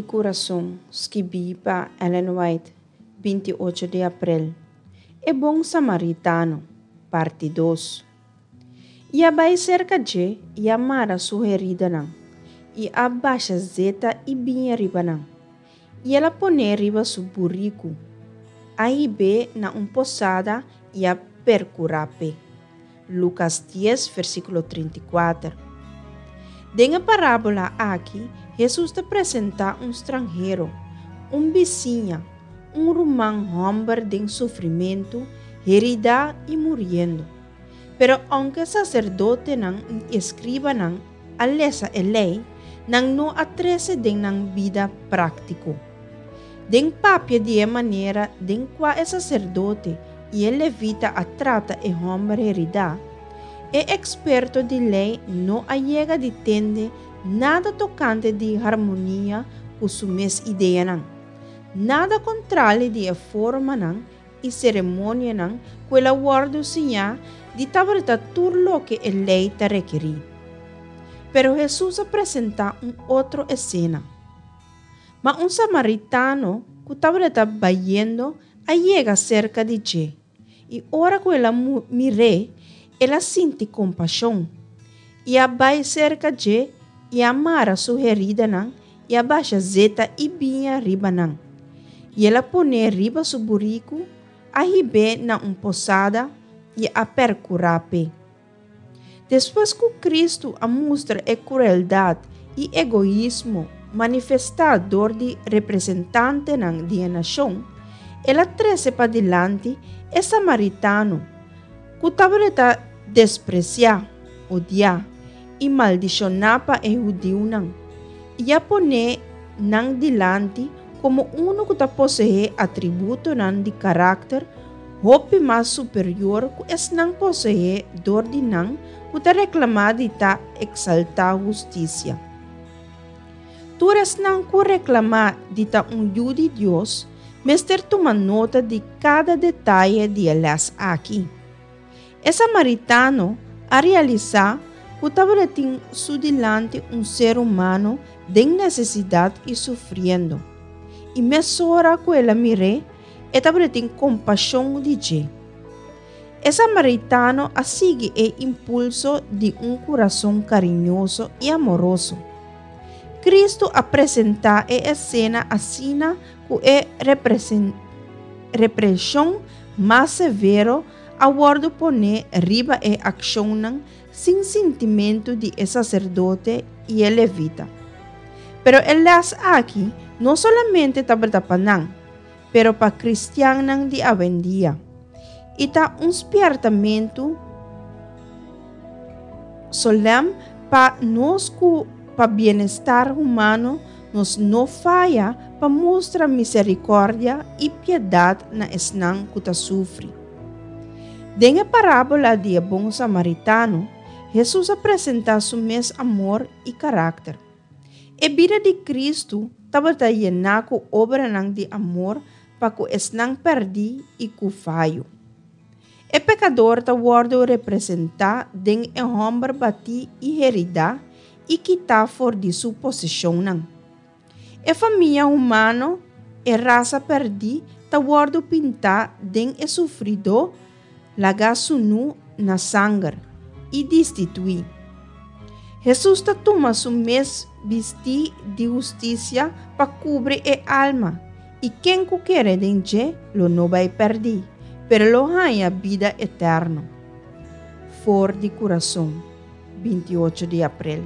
di Kurason, skibí pa Ellen White, 28 di aprel. E Bon Samaritano, parti dos. I a bai serka dje i a mara su heridanan, i a basha zeta i biña riba nan. I el a pon'é riba su buriku, a hib'é na un posada i a perkurá p'e. Lukas dies, versíkulo 34. Den e parábola aki, Hesus ta presentá un stranhero, un bisiña, un ruman hòmber den sufrimentu, heridá i muriendo. Pero ounke saserdotenan i eskribanan a lesa e Lei, nan no a trese den nan bida práktiko. Den papia di e manera den kua e saserdote i e levita a trata e hòmber heridá, e eksperto di Lei no a yega di tende nada tokante di harmonia ku su mes ideanan, nada kontrali di e formanan i seremonianan ku el a wòrdu siñá di tabata tur loke e Lei ta rekerí. Pero Hesus a presentá un otro esena. Ma un samaritano ku tabata bayendo a yega serka di dje, i ora ku el a mir'é, el a sinti kompashon, i a bai serka dje i a mara su heridanan i a basha zeta i biña riba nan. I el a pon'é riba su buriku, a hib'é na un posada i a perkurá p'e. Despues ku Kristu a mustra e krueldat i egoismo manifestá dor di representantenan di e nashon, el a trese padilanti e samaritano, ku tabata despresiá, odiá i maldishoná pa e hudiunan, i a pon'é nan dilanti komo unu ku ta poseé atributonan di karakter hopi mas superior ku esnan poseé dor di nan ku ta reklamá di ta eksaltá hustisia. Tur esnan ku reklamá di ta un yu di Dios mester tuma nota di kada detaye di e lès aki. E samaritano a realisá ku tabatin su dilanti un ser humano den nesesidat i sufriendo, i mesora ku el a mir'é, e tabatin kompashon di dje. E samaritano a sigui e impulso di un kurason kariñoso i amoroso. Kristu a presentá e esena asina ku e represhon mas severo a wòrdu poné riba e akshonnan sin sintimentu di e saserdote i e levita. Pero e lès aki no solamente tabata pa nan, pero pa kristiannan di awendia, i ta un spièrtamentu solèm pa nos ku pa bienestar humano nos no faya pa mustra miserikòrdia i piedat na esnan ku ta sufri. Den e parábola di e bon samaritano, Hesus a presentá su mes amor i karakter. E bida di Kristu tabata yená ku obranan di amor pa ku esnan pèrdí i ku fayo. E pekador ta wòrdu representá den e hòmber batí i heridá i kitá for di su poseshonnan. E famia humano, e rasa pèrdí, ta wòrdu pintá den e sufridó lagá sunú na sanger i destituí. Hesus ta tuma su mes bistí di hustisia pa kubri e alma, i ken ku kere den dje lo no bai pèrdí, pero lo haña bida eterno. For di kurason, 28 di aprel.